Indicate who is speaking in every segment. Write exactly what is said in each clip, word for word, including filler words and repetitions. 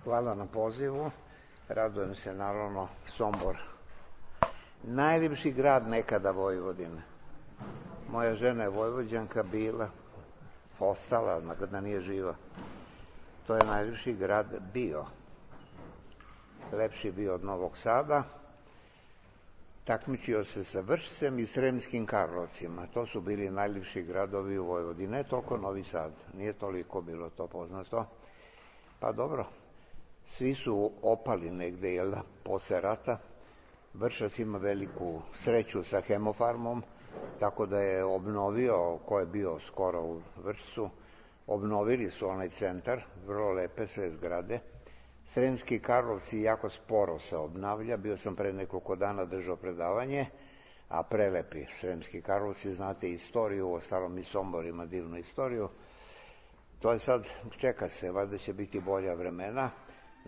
Speaker 1: Hvala na pozivu. Radujem se, naravno, Sombor. Najljepši grad nekada Vojvodine. Moja žena je Vojvođanka bila, ostala, da nije živa. To je najljepši grad bio. Lepši bio od Novog Sada. Takmičio se sa Vršcem i Sremskim Karlovcima. To su bili najljepši gradovi u Vojvodini. Ne toliko Novi Sad. Nije toliko bilo to poznato. Pa dobro, svi su opali negde, jel da, posle rata. Vršac ima veliku sreću sa Hemofarmom, tako da je obnovio, ko je bio skoro u Vršcu, obnovili su onaj centar, vrlo lepe sve zgrade. Sremski Karlovci jako sporo se obnavlja, bio sam pre nekoliko dana držao predavanje, a prelepi Sremski Karlovci, znate istoriju, ostalom i Sombor ima divnu istoriju. To je sad, čeka se, valjda će biti bolja vremena,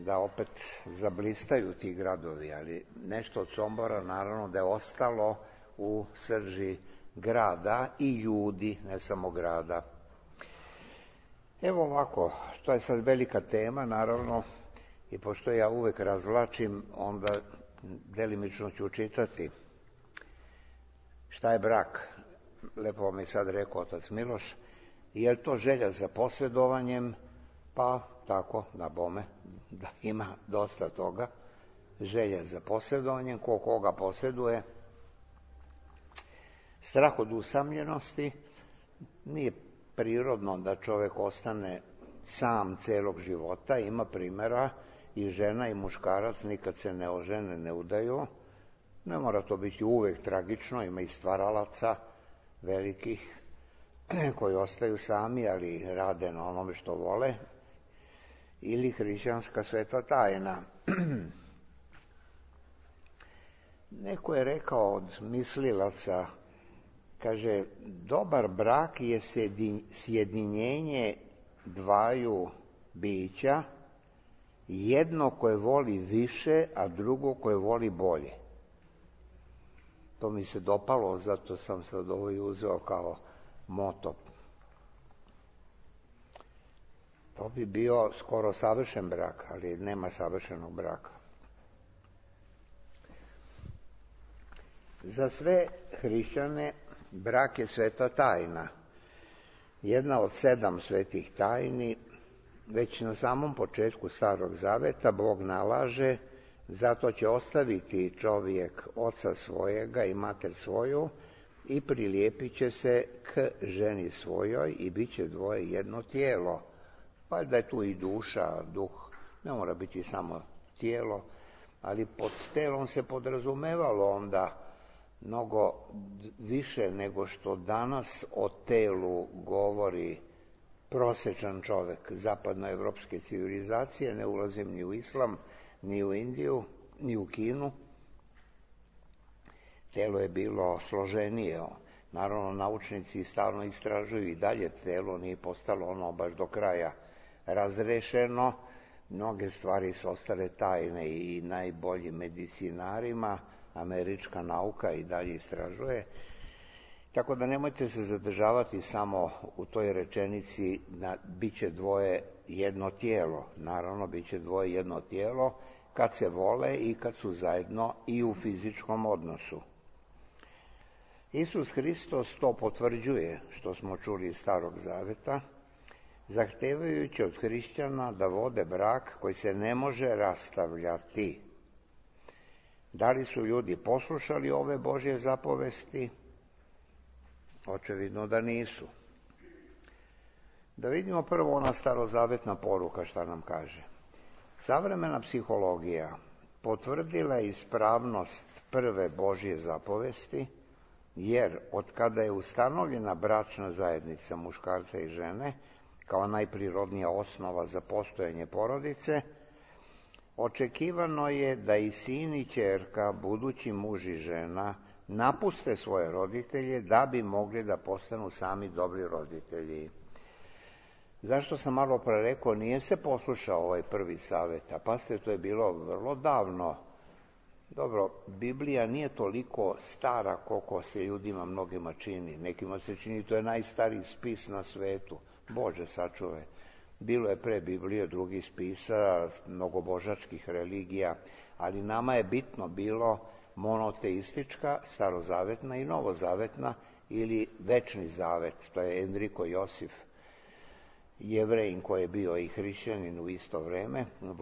Speaker 1: da opet zablistaju ti gradovi, ali nešto od Sombora naravno da je ostalo u srži grada i ljudi, ne samo grada. Evo ovako, to je sad velika tema, naravno, i pošto ja uvek razvlačim, onda delimično ću čitati šta je brak. Lepo mi je sad rekao otac Miloš, je li to želja za posvedovanjem? Pa tako, na bome, da ima dosta toga. Želja za posvedovanjem, ko koga posveduje. Strah od usamljenosti. Nije prirodno da čovek ostane sam celog života. Ima primjera i žena i muškarac nikad se ne ožene, ne udaju. Ne mora to biti uvek tragično, ima i stvaralaca velikih koji ostaju sami, ali rade na onome što vole. Ili hrišćanska sveta tajna. Neko je rekao od mislilaca, kaže, dobar brak je sjedinjenje dvaju bića, jedno koje voli više, a drugo koje voli bolje. To mi se dopalo, zato sam sad ovo i uzeo kao moto. To bi bio skoro savršen brak, ali nema savršenog braka. Za sve hrišćane brak je sveta tajna. Jedna od sedam svetih tajni. Već na samom početku Starog Zaveta Bog nalaže, zato će ostaviti čovjek oca svojega i mater svoju i prilijepit će se k ženi svojoj i bit će dvoje jedno tijelo. Pa da je tu i duša, duh, ne mora biti samo tijelo, ali pod telom se podrazumevalo onda mnogo više nego što danas o telu govori prosječan čovek zapadnoevropske civilizacije. Ne ulazim ni u islam, ni u Indiju, ni u Kinu. Telo je bilo složenije. Naravno, naučnici stalno istražuju i dalje telo, nije postalo ono baš do kraja razrešeno. Mnoge stvari su ostale tajne i najboljim medicinarima. Američka nauka i dalje istražuje. Tako da nemojte se zadržavati samo u toj rečenici da bit će dvoje jedno tijelo. Naravno, bit će dvoje jedno tijelo kad se vole i kad su zajedno i u fizičkom odnosu. Isus Hristos to potvrđuje, što smo čuli iz Starog Zaveta, zahtevajući od hrišćana da vode brak koji se ne može rastavljati. Da li su ljudi poslušali ove Božje zapovesti? Očevidno da nisu. Da vidimo prvo ona starozavetna poruka šta nam kaže. Savremena psihologija potvrdila je ispravnost prve Božje zapovesti, jer od kada je ustanovljena bračna zajednica muškarca i žene, kao najprirodnija osnova za postojanje porodice, očekivano je da i sin i ćerka, budući muž i žena, napuste svoje roditelje da bi mogli da postanu sami dobri roditelji. Zašto sam malo pre rekao, nije se poslušao ovaj prvi savet, a pazite, to je bilo vrlo davno. Dobro, Biblija nije toliko stara koliko se ljudima mnogima čini. Nekima se čini to je najstariji spis na svetu. Bože sačuvaj. Bilo je pre Biblije drugih spisa, mnogobožačkih religija, ali nama je bitno bilo monoteistička, starozavetna i novozavetna ili večni zavet. To je Enriko Josif, Jevrejin koji je bio i hrišćanin u isto vreme,